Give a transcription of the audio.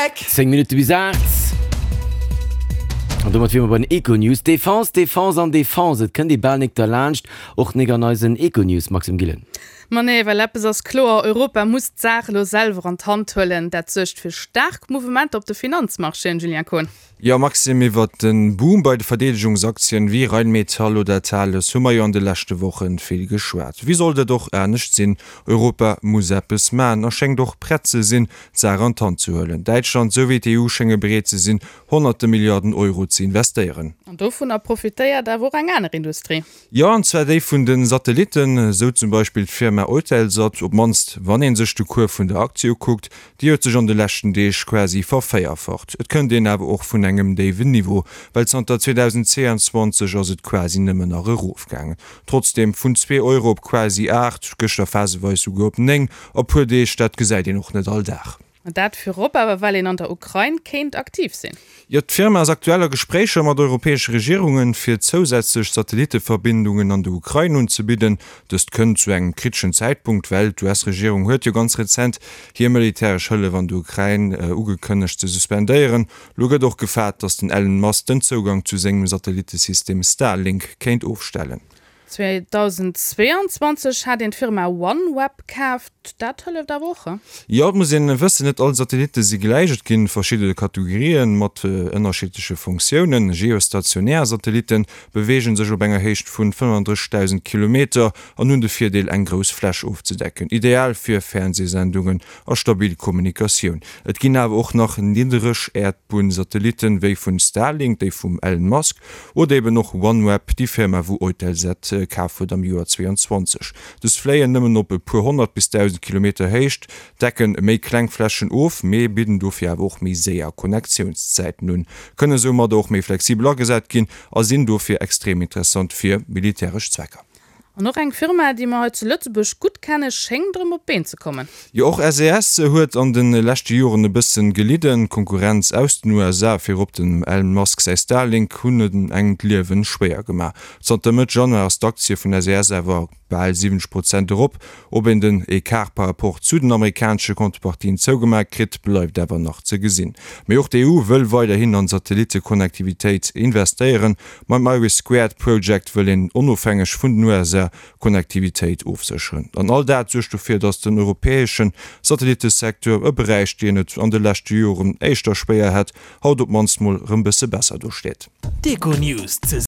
Geck. 10 Minutte bis 8. An domat wiere mer bei den Econews. Defense, Defense an Defense, et kënnt ee bal nik derlaanscht, och nik an eisen Econews, Maxime Gillen. Ma nee, well eppes ass kloer, Europa muss d'Saach elo selwer an d'Hand huelen. Dat suergt fir staark Mouvementer op de Finanzmarchéen, Julien Kohn. Jo Maxime, iwwert den Boom bei de Verdeedegungsaktien wéi Rheinmetall oder Thales hu mer jo an de leschte Wochen vill geschwat. Wéi sollt et och anescht sinn, Europa muss eppes man a schéngt och prett ze sinn, d'Saach an d'Hand ze huelen. Däitschland sou wéi d'EU schénge bereet ze sinn, honnerte Milliarden Euro ze investéieren. An dovunner profitéiert awer och eng aner Industrie. Jo, an zwar déi vun de Satellitten, esou zum Beispill d'Firma Eutelsat, op d'mannst wann ee sech de Cours vun der Aktie ukuckt. Déi huet sech an de leschten Deeg quasi vervéierfacht. Et kënnt een awer och vun engem déiwen Niveau, well zanter 2022 ass et quasi nëmmen nach erofgaangen. Trotzdeem, vun zwee Euro op quasi 8, gëschter phaseweis souguer op 9 a puer Deeg, dat gesäit een och net all Dag. Dat virop awer well een an der Ukrain kéint aktiv sinn. Jo, d'Firma ass aktuell a Gespréicher mat europäesche Regierungen, fir zousätzlech Satellitteverbindungen an der Ukrain unzebidden. Dëst kënnt zu engem kriteschen Zäitpunkt, well d'US-Regierung huet jo ganz rezent hir militäresch Hëllef an der Ukrain ugekënnegt ze suspendéieren. Lo gëtt och gefaart, datt den Elon Musk den Zougang zu sengem Satellitesystem Starlink kéint ofstellen. 2022 hat een d'Firma OneWeb kaaft, dat hëlleft awer och, he? Jo, et muss een wëssen, net all Satellitte si gläich. Et ginn verschidde Kategorien mat ënnerschiddleche Funktiounen. Geostationär Satellitten beweegen sech op enger Héicht vun 35.000 Kilometer an hunn de Virdeel eng grouss Fläch ofzedecken, ideal fir Fernsehsendungen a stabil Kommunikatioun. Et ginn awer och nach niddereg Äerdbunn-Satellitten, wéi vun Starlink, déi vum Elon Musk, oder eben och OneWeb, déi Firma wou Eutelsat kaf huet am Joer 22. Dës fléien nëmmen op e puer 100 bis 1.000 Kilometer Héicht, decken méi kleng Flächen of, mee bidden dofir awer och méi séier Connectiounszäiten un, kënne soumadder och méi flexibel agesat ginn a sinn dofir extrem interessant fir militäresch Zwecker. An och eng Firma, déi mer hei zu Lëtzebuerg gutt kennen, schéngt erëm op d'Been ze kommen. Jo, och SES huet an de leschte Joren e bëssen gelidden. D'Konkurrenz aus den USA, virop dem Elon Musk säi Starlink, hunn et engem d'Liewen schwéier gemaach. Zanter Mëtt Januar ass d'Aktie vun SES awer bal 70 Prozent erop. Ob een den Ecart par rapport zu den amerikanesche Contrepartien zougemaach kritt, bleift awer nach ze gesinn. Mee och d'EU wëll weiderhin an Satellittekonnektivitéit investéieren. Mam Iris Squared Project wëll een onofhängeg vun den USA Konnektivitéit ofsécheren. An all dat suergt dofir, datt den europäesche Satellittesecteur, e Beräich deen et an de leschte Joren éischter schwéier hat, haut op d'mannst mol rëm bësse besser do steet. D'Econews.